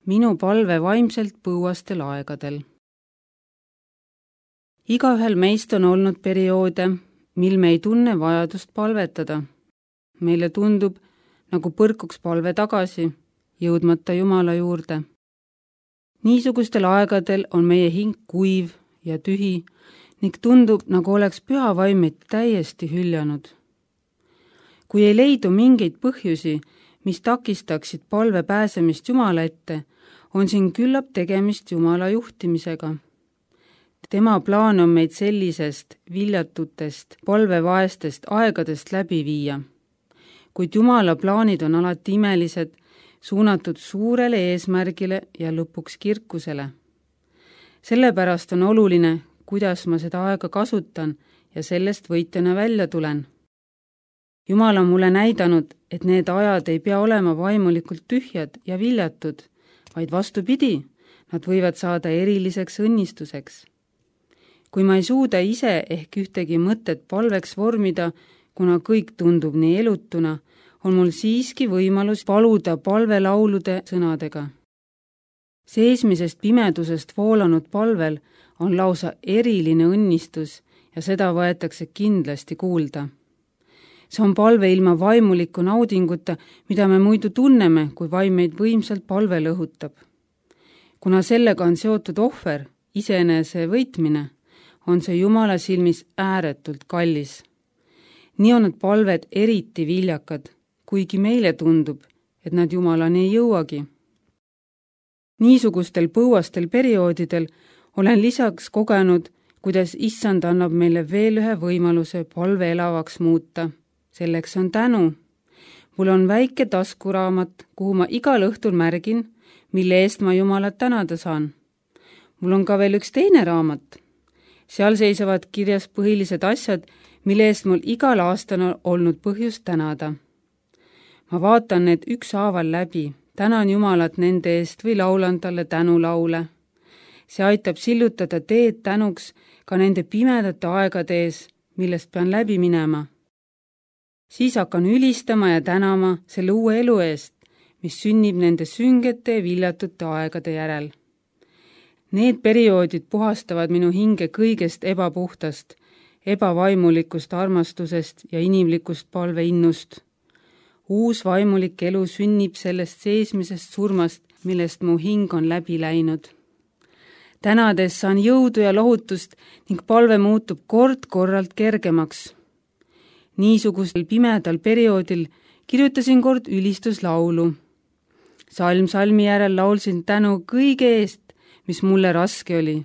minu palve vaimselt põuastel aegadel. Igaühel meist on olnud perioode, mil me ei tunne vajadust palvetada. Meile tundub, nagu põrkuks palve tagasi, jõudmata Jumala juurde. Niisugustel aegadel on meie hing kuiv ja tühi ning tundub, nagu oleks püha vaim meid täiesti hüljanud. Kui ei leidu mingeid põhjusi, mis takistaksid palve pääsemist Jumala ette, on siin küllap tegemist Jumala juhtimisega. Tema plaan on meid sellisest viljatutest, palvevaestest aegadest läbi viia. Kuid Jumala plaanid on alati imelised, suunatud suurele eesmärgile ja lõpuks kirkusele. Sellepärast on oluline, kuidas ma seda aega kasutan ja sellest võitjana välja tulen. Jumal on mulle näidanud, et need ajad ei pea olema vaimulikult tühjad ja viljatud, vaid vastupidi, nad võivad saada eriliseks õnnistuseks. Kui ma ei suuda ise ehk ühtegi mõtet palveks vormida, kuna kõik tundub nii elutuna, on mul siiski võimalus paluda palvelaulude sõnadega. Seesmisest pimedusest voolanud palvel on lausa eriline õnnistus ja seda võetakse kindlasti kuulda. See on palve ilma vaimuliku naudinguta, mida me muidu tunneme, kui vaim meid võimsalt palvel õhutab. Kuna sellega on seotud ohver, iseenese võitmine, on see Jumala silmis ääretult kallis. Nii on need palved eriti viljakad, kuigi meile tundub, et nad Jumalani ei jõuagi. Niisugustel põuastel perioodidel olen lisaks kogenud, kuidas Issand annab meile veel ühe võimaluse palve elavaks muuta. Selleks on tänu. Mul on väike taskuraamat, kuhu ma igal õhtul märgin, mille eest ma Jumalat tänada saan. Mul on ka veel üks teine raamat. Seal seisavad kirjas põhilised asjad, mille eest mul igal aastal on olnud põhjust tänada. Ma vaatan need ükshaaval läbi, tänan Jumalat nende eest või laulan talle tänulaule. See aitab sillutada teed tänuks ka nende pimedate aegade ees, millest pean läbi minema. Siis hakkan ülistama ja tänama selle uue elu eest, mis sünnib nende süngete ja viljatute aegade järel. Need perioodid puhastavad minu hinge kõigest ebapuhtast, ebavaimulikust armastusest ja inimlikust palveinnust. Uus vaimulik elu sünnib sellest seesmisest surmast, millest mu hing on läbi läinud. Tänades saan jõudu ja lohutust ning palve muutub kord-korralt kergemaks. Niisugusel pimedal perioodil kirjutasin kord ülistuslaulu. Salm salmi järel laulsin tänu kõige eest, mis mulle raske oli,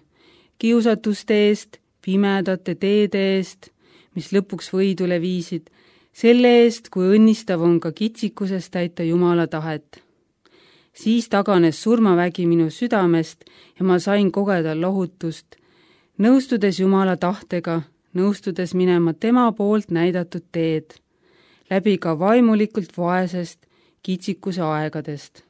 kiusatuste eest, pimedate teede eest, mis lõpuks võidule viisid, selle eest, kui õnnistav on ka kitsikusest täita Jumala tahet. Siis taganes surmavägi minu südamest ja ma sain kogeda lohutust, nõustudes Jumala tahtega, nõustudes minema tema poolt näidatud teed, läbi ka vaimulikult vaesest kitsikuse aegadest.